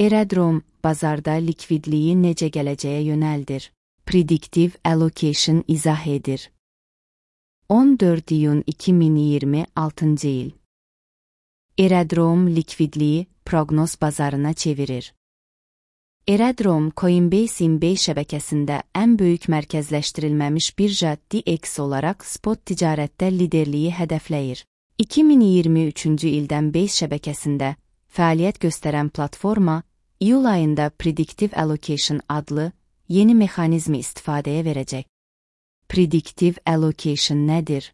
Eredrom, bazarda likvidliyi necə gələcəyə yönəldir? Predictive Allocation izah edir. 14 iyun 2026 il. Eredrom likvidliyi proqnoz bazarına çevirir. Eredrom, Coinbase şəbəkəsində ən böyük mərkəzləşdirilməmiş birja DEX olaraq spot ticarətdə liderliyi hədəfləyir. 2023-cü ildən Base şəbəkəsində fəaliyyət göstərən platforma, iyul ayında Predictive Allocation adlı yeni mexanizmi istifadəyə verəcək. Predictive Allocation nədir?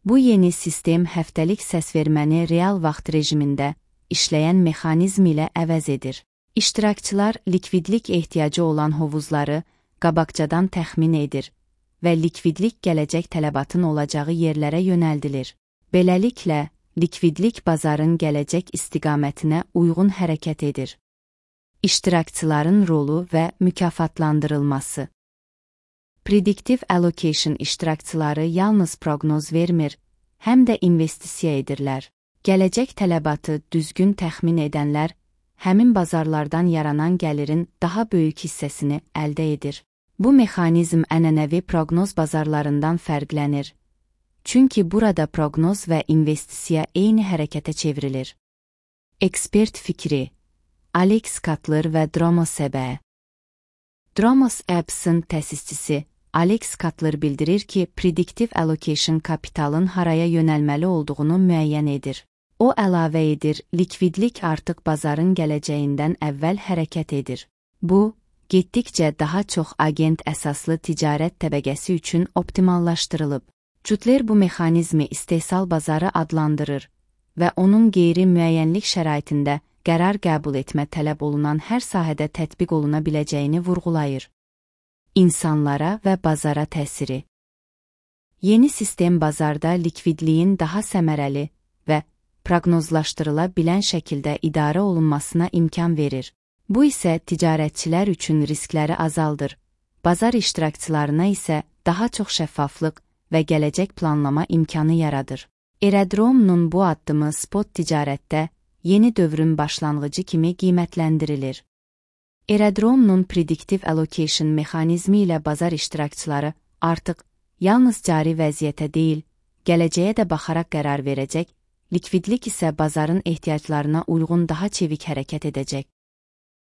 Bu yeni sistem həftəlik səsverməni real vaxt rejimində işləyən mexanizm ilə əvəz edir. İştirakçılar likvidlik ehtiyacı olan hovuzları qabaqcadan təxmin edir və likvidlik gələcək tələbatın olacağı yerlərə yönəldilir. Beləliklə, likvidlik bazarın gələcək istiqamətinə uyğun hərəkət edir. İştirakçıların rolu və mükafatlandırılması. Predictive Allocation iştirakçıları yalnız proqnoz vermir, həm də investisiya edirlər. Gələcək tələbatı düzgün təxmin edənlər, həmin bazarlardan yaranan gəlirin daha böyük hissəsini əldə edir. Bu mexanizm ənənəvi proqnoz bazarlarından fərqlənir. Çünki burada proqnoz və investisiya eyni hərəkətə çevrilir. Ekspert fikri. Alex Cutler və Dromos EB. Dromos Apps-ın təsisçisi Alex Cutler bildirir ki, Predictive Allocation kapitalın haraya yönəlməli olduğunu müəyyən edir. O əlavə edir, likvidlik artıq bazarın gələcəyindən əvvəl hərəkət edir. Bu, getdikcə daha çox agent əsaslı ticarət təbəqəsi üçün optimallaşdırılıb. Cutler bu mexanizmi istehsal bazarı adlandırır və onun qeyri-müəyyənlik şəraitində qərar qəbul etmə tələb olunan hər sahədə tətbiq oluna biləcəyini vurğulayır. İnsanlara və bazara təsiri. Yeni sistem bazarda likvidliyin daha səmərəli və proqnozlaşdırıla bilən şəkildə idarə olunmasına imkan verir. Bu isə ticarətçilər üçün riskləri azaldır, bazar iştirakçılarına isə daha çox şəffaflıq və gələcək planlama imkanı yaradır. Eredrom'un bu addımı spot ticarətdə yeni dövrün başlanğıcı kimi qiymətləndirilir. Eredrom'un Predictive Allocation mexanizmi ilə bazar iştirakçıları artıq yalnız cari vəziyyətə deyil, gələcəyə də baxaraq qərar verəcək, likvidlik isə bazarın ehtiyaclarına uyğun daha çevik hərəkət edəcək.